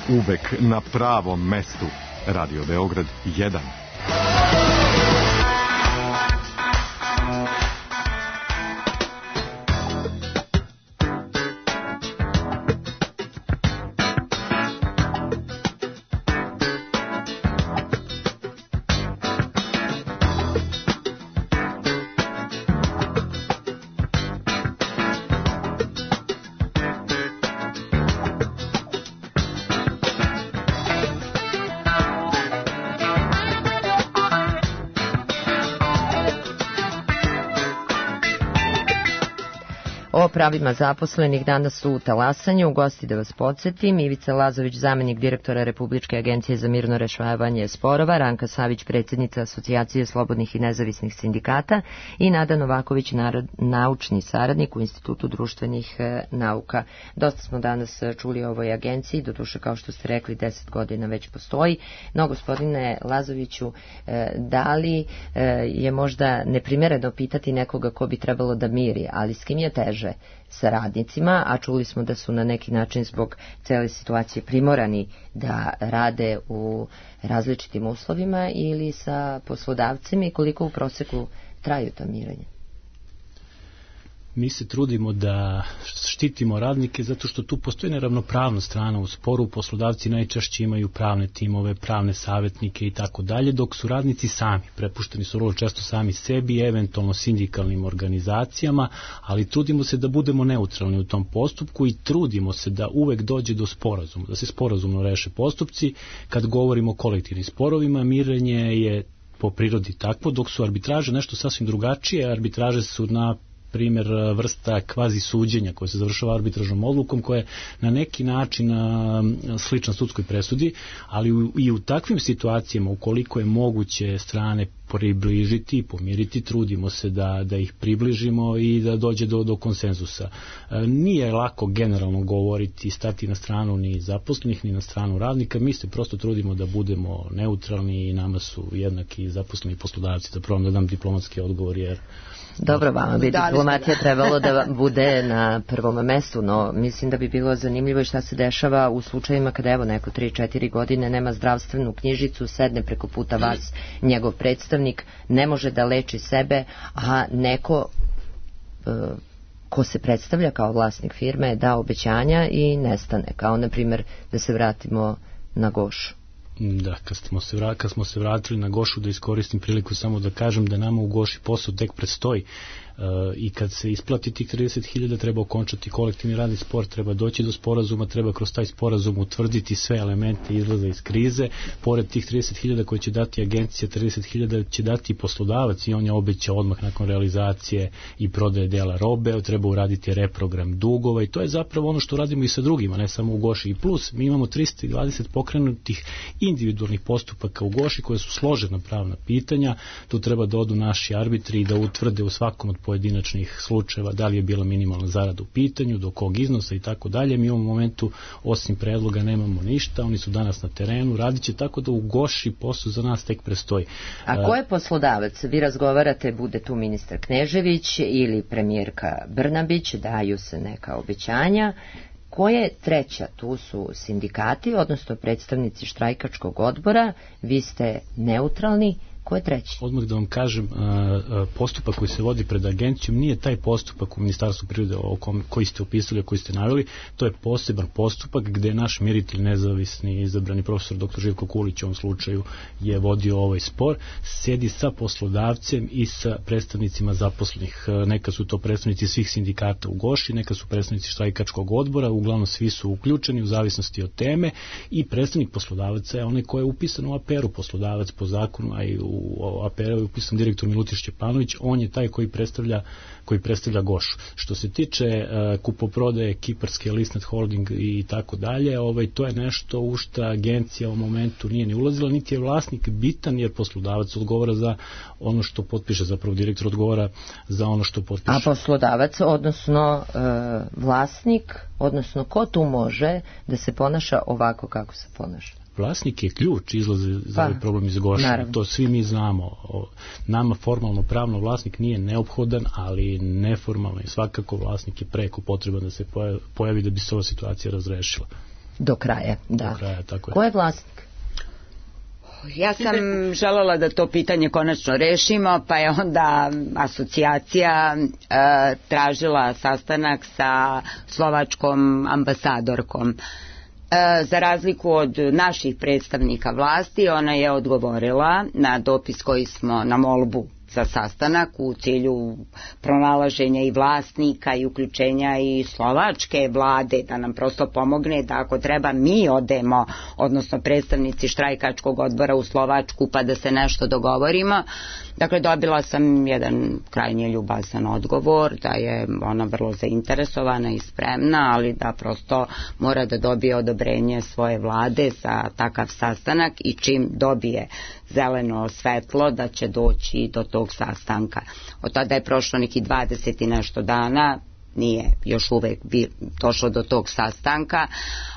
Uvek na pravom mestu. Radio Beograd 1. O pravima zaposlenih danas u talasanju. U gosti da vas podsjetim, Ivica Lazović, zamenik direktora Republičke agencije za mirno rešavanje sporova, Ranka Savić, predsjednica Asocijacije slobodnih i nezavisnih sindikata i Nada Novaković, naučni saradnik u Institutu društvenih nauka. Dosta smo danas čuli o ovoj agenciji, doduše kao što ste rekli 10 godina već postoji. No, gospodine Lazoviću, da li je možda neprimjereno pitati nekoga ko bi trebalo da miri, ali s kim je teže? Sa radnicima, a čuli smo da su na neki način zbog cele situacije primorani da rade u različitim uslovima, ili sa poslodavcima, i koliko u proseku traju ta mirenja? Mi se trudimo da štitimo radnike zato što tu postoji neravnopravna strana u sporu. Poslodavci najčešće imaju pravne timove, pravne savjetnike i tako dalje, dok su radnici sami. Prepušteni su vrlo često sami sebi, eventualno sindikalnim organizacijama, ali trudimo se da budemo neutralni u tom postupku i trudimo se da uvek dođe do sporazuma, da se sporazumno reše postupci. Kad govorimo o kolektivnim sporovima, mirenje je po prirodi takvo, dok su arbitraže nešto sasvim drugačije. Arbitraže su na primjer vrsta kvazi suđenja koje se završava arbitražnom odlukom koja je na neki način slična sudskoj presudi, ali i u takvim situacijama ukoliko je moguće strane približiti i pomiriti, trudimo se da ih približimo i da dođe do konsenzusa. Nije lako generalno govoriti, stati na stranu ni zaposlenih, ni na stranu radnika, mi se prosto trudimo da budemo neutralni i nama su jednaki zaposleni poslodavci, da probam da dam diplomatski odgovor, jer dobro, vama bi diplomatija trebalo da bude na prvom mestu, no mislim da bi bilo zanimljivo i šta se dešava u slučajima kada evo neko 3-4 godine nema zdravstvenu knjižicu, sedne preko puta vas njegov predstavnik, ne može da leči sebe, a neko ko se predstavlja kao vlasnik firme da obećanja i nestane, kao na primjer da se vratimo na Gošu. Da, kad smo se vratili na Gošu, da iskoristim priliku samo da kažem da nama u Goši posao tek predstoji i kad se isplati tih 30.000 treba okončati kolektivni radni spor, treba doći do sporazuma, treba kroz taj sporazum utvrditi sve elemente izlaza iz krize. Pored tih 30.000 koje će dati agencija, 30.000 će dati poslodavac i on je obećao odmah nakon realizacije i prodaje dela robe, treba uraditi reprogram dugova i to je zapravo ono što radimo i sa drugima, ne samo u Goši. I plus, mi imamo 320 pokrenutih individualnih postupaka u Goši koje su složena pravna pitanja, tu treba da odu naši arbitri i da utvrde u svakom od pojedinačnih slučajeva da li je bila minimalna zarada u pitanju, do kog iznosa i tako dalje. Mi u ovom momentu osim predloga nemamo ništa, oni su danas na terenu, radit će, tako da u Goši posao za nas tek prestoji. A ko je poslodavac? Vi razgovarate, bude tu ministar Knežević ili premijerka Brnabić, daju se neka obećanja. Ko je treća? Tu su sindikati, odnosno predstavnici štrajkačkog odbora, vi ste neutralni. Ko je treći? Odmah da vam kažem, postupak koji se vodi pred agencijom nije taj postupak u Ministarstvu prirode koji ste opisali, koji ste naveli, to je poseban postupak gde naš miritelj nezavisni izabrani profesor dr. Živko Kulić u ovom slučaju je vodio ovaj spor, sedi sa poslodavcem i sa predstavnicima zaposlenih. Neka su to predstavnici svih sindikata u Goši, neka su predstavnici štrajkačkog odbora, uglavnom svi su uključeni u zavisnosti od teme i predstavnik poslodavaca je onaj koji je upisan u APR-u, poslodavac po zakonu, a i u APR-u je upisan direktor Milutić Šćepanović, on je taj koji predstavlja Gošu. Što se tiče kupoprodaje Kiparske Lisnet Holding i tako dalje, to je nešto u što agencija u momentu nije ni ulazila, niti je vlasnik bitan, jer poslodavac odgovara za ono što potpiše, zapravo direktor odgovara za ono što potpiše. A poslodavac, odnosno vlasnik, odnosno ko tu može da se ponaša ovako kako se ponaša? Vlasnik je ključ izlaze za ovaj problem iz Goša. To svi mi znamo. Nama formalno pravno vlasnik nije neophodan, ali neformalno i svakako vlasnik je preko potreban da se pojavi da bi se ova situacija razrešila. Do kraja, da. Do kraja, tako je. Ko je vlasnik? Ja sam željela da to pitanje konačno rešimo, pa je onda asocijacija tražila sastanak sa slovačkom ambasadorkom. Za razliku od naših predstavnika vlasti, ona je odgovorila na dopis koji smo, na molbu za sastanak u cilju pronalaženja i vlasnika i uključenja i slovačke vlade da nam prosto pomogne da ako treba mi odemo, odnosno predstavnici štrajkačkog odbora u Slovačku pa da se nešto dogovorimo. Dakle, dobila sam jedan krajnje ljubazan odgovor da je ona vrlo zainteresovana i spremna, ali da prosto mora da dobije odobrenje svoje vlade za takav sastanak i čim dobije zeleno svetlo da će doći do tog sastanka. Od tada je prošlo neki 20 i nešto dana, nije još uvek došlo do tog sastanka,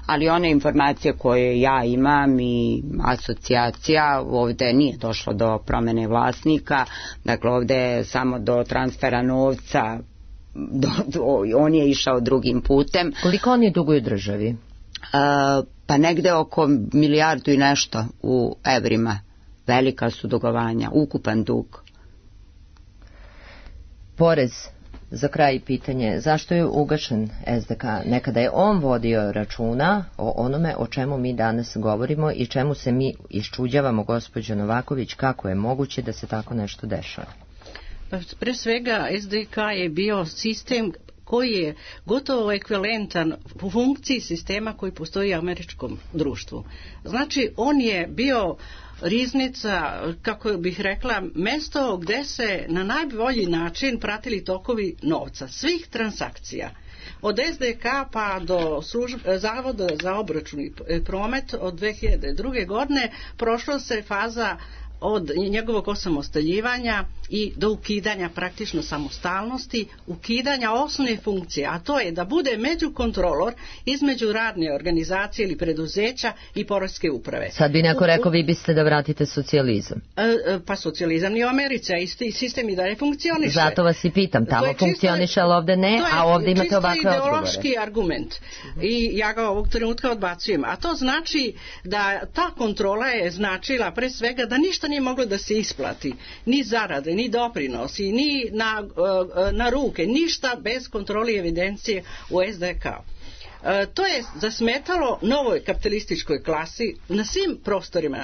ali one informacije koje ja imam i asocijacija, ovde nije došlo do promene vlasnika, dakle ovde je samo do transfera novca, on je išao drugim putem. Koliko oni duguju državi? Pa negde oko 1 milijardu i nešto u evrima. Velika su dugovanja, ukupan dug. Porez. Za kraj pitanje, zašto je ugašen SDK? Nekada je on vodio računa o onome o čemu mi danas govorimo i čemu se mi iščuđavamo, gospođo Novaković, kako je moguće da se tako nešto dešava? Pa pre svega SDK je bio sistem koji je gotovo ekvivalentan u funkciji sistema koji postoji u američkom društvu. Znači, on je bio riznica, kako bih rekla, mesto gde se na najbolji način pratili tokovi novca, svih transakcija. Od SDK pa do Zavoda za obračun i promet od 2002. godine prošla se faza od njegovog osamostaljivanja i do ukidanja praktično samostalnosti, ukidanja osnovne funkcije, a to je da bude međukontrolor između radne organizacije ili preduzeća i poreske uprave. Sad bi neko rekao, vi biste da vratite socijalizam. Pa socijalizam ni u Americi, a isti sistem i dalje funkcioniše. Zato vas i pitam, tamo funkcioniše, ali ovde ne, a ovde imate ovakve odgovore. To je ideološki argument i ja ga ovog trenutka odbacujem. A to znači da ta kontrola je značila pre svega da ništa nije moglo da se isplati, ni zarade, ni doprinosi, ni na ruke, ništa bez kontrole i evidencije u SDK. To je zasmetalo novoj kapitalističkoj klasi na svim prostorima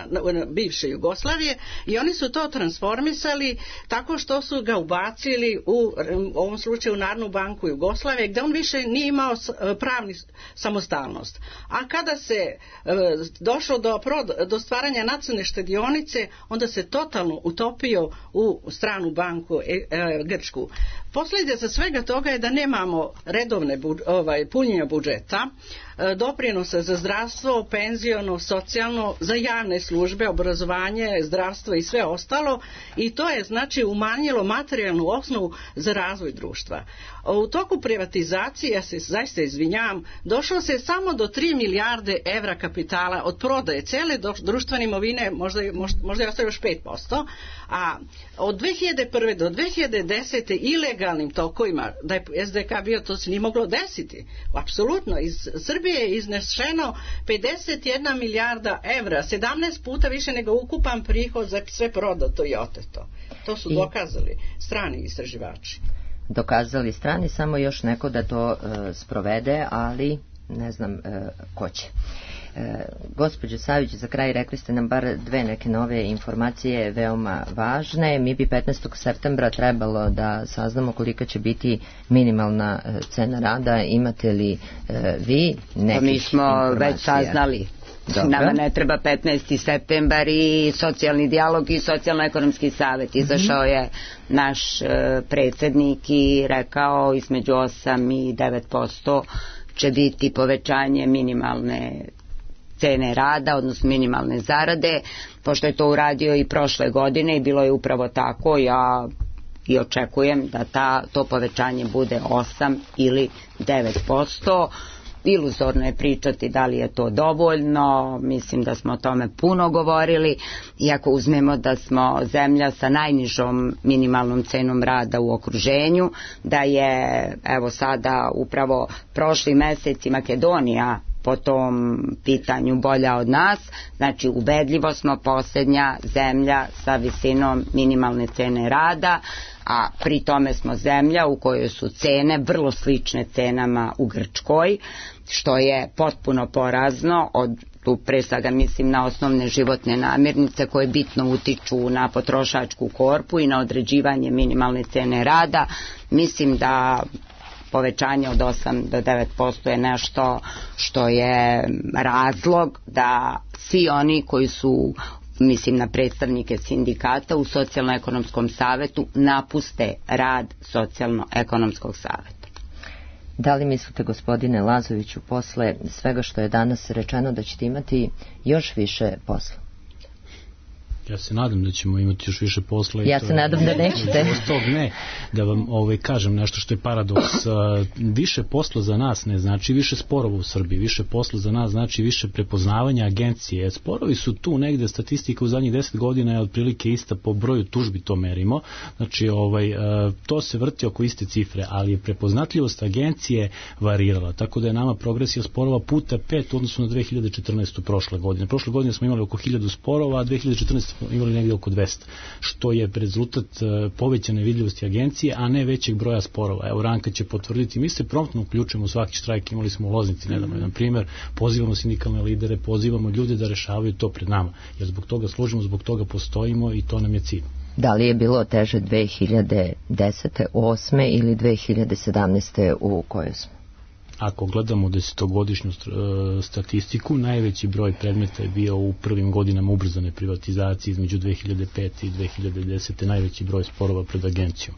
bivše Jugoslavije i oni su to transformisali tako što su ga ubacili u ovom slučaju u Narodnu banku Jugoslavije, gde on više nije imao pravni samostalnost. A kada se došlo do stvaranja nacionalne štedionice, onda se totalno utopio u stranu banku Grčku. Posljedica svega toga je da nemamo redovne punjenja budžeta, doprinosa za zdravstvo, penziono, socijalno, za javne službe, obrazovanje, zdravstvo i sve ostalo, i to je znači umanjilo materijalnu osnovu za razvoj društva. U toku privatizacije, ja se zaista izvinjavam, došlo se samo do 3 milijarde evra kapitala od prodaje cele društvene imovine, možda je ostalo još 5%, a od 2001. do 2010. ilegalnim tokovima, da je SDK bio, to se nije moglo desiti. Apsolutno, iz Srbije je iznešeno 51 milijarda evra, 17 puta više nego ukupan prihod za sve prodato i oteto. To su dokazali strani istraživači. Dokazali strani, samo još neko da to sprovede, ali ne znam ko će. Gospođo Savić, za kraj rekli ste nam bar dve neke nove informacije veoma važne. Mi bi 15. septembra trebalo da saznamo kolika će biti minimalna cena rada. Imate li vi nekih mi smo informacija? Već saznali. Dobro. Nama ne treba 15. septembar i socijalni dijalog i socijalno-ekonomski savjet. Izašao je naš predsjednik i rekao između 8 i 9% će biti povećanje minimalne cene rada, odnosno minimalne zarade, pošto je to uradio i prošle godine i bilo je upravo tako. Ja i očekujem da to povećanje bude 8 ili 9%. Iluzorno je pričati da li je to dovoljno, mislim da smo o tome puno govorili, iako uzmemo da smo zemlja sa najnižom minimalnom cenom rada u okruženju, da je evo sada upravo prošli mesec i Makedonija po tom pitanju bolja od nas, znači ubedljivo smo posljednja zemlja sa visinom minimalne cene rada, a pri tome smo zemlja u kojoj su cene vrlo slične cenama u Grčkoj, što je potpuno porazno. Tu pre svega mislim na osnovne životne namirnice koje bitno utiču na potrošačku korpu i na određivanje minimalne cene rada. Mislim da povećanje od 8 do 9% je nešto što je razlog da svi oni koji su, mislim na predstavnike sindikata u socijalno-ekonomskom savetu, napuste rad socijalno-ekonomskog saveta. Da li mislite, gospodine Lazoviću, posle svega što je danas rečeno, da ćete imati još više posla? Ja se nadam da ćemo imati još više posla. Ja se nadam da nećete. Ne, da vam kažem nešto što je paradoks. Više posla za nas ne znači više sporova u Srbiji. Više posla za nas znači više prepoznavanja agencije. Sporovi su tu negde, statistika u zadnjih 10 godina je otprilike ista, po broju tužbi to merimo. Znači, to se vrti oko iste cifre, ali je prepoznatljivost agencije varirala. Tako da je nama progresija sporova puta 5 u odnosu na 2014. prošle godine. Prošle godine smo imali oko 1000 sporova, a 2014. imali negdje oko 200, što je rezultat povećane vidljivosti agencije, a ne većeg broja sporova. Evo, Ranka će potvrditi, mi se promptno uključujemo u svaki štrajk, imali smo u Loznici nedavno jedan primjer, pozivamo sindikalne lidere, pozivamo ljude da rešavaju to pred nama, jer zbog toga služimo, zbog toga postojimo i to nam je cilj. Da li je bilo teže 2010. 8. ili 2017. u kojoj smo? Ako gledamo desetogodišnju statistiku, najveći broj predmeta je bio u prvim godinama ubrzane privatizacije između 2005. i 2010. najveći broj sporova pred agencijom.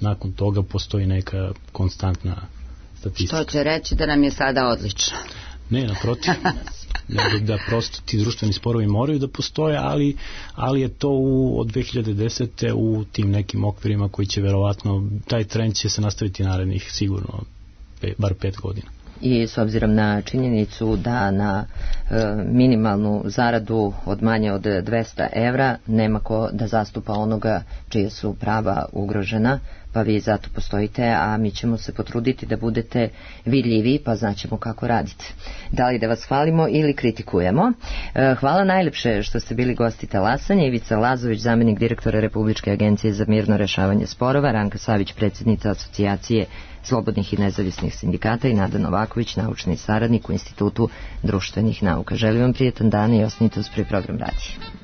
Nakon toga postoji neka konstantna statistika. Što će reći da nam je sada odlično? Ne, naprotiv. Nego da prosto ti društveni sporovi moraju da postoje, ali je to od 2010. u tim nekim okvirima koji će verovatno, taj trend će se nastaviti narednih sigurno bar 5 godina. I s obzirom na činjenicu da na minimalnu zaradu od manje od 200 evra nema ko da zastupa onoga čije su prava ugrožena, pa vi zato postojite, a mi ćemo se potruditi da budete vidljivi, pa znaćemo kako radite. Da li da vas hvalimo ili kritikujemo? Hvala najlepše što ste bili gosti talasanja. Ivica Lazović, zamenik direktora Republičke agencije za mirno rešavanje sporova, Ranka Savić, predsjednica Asocijacije slobodnih i nezavisnih sindikata i Nada Novaković, naučni saradnik u Institutu društvenih nauka. Želim vam prijetan dan i ostanite uz program radija.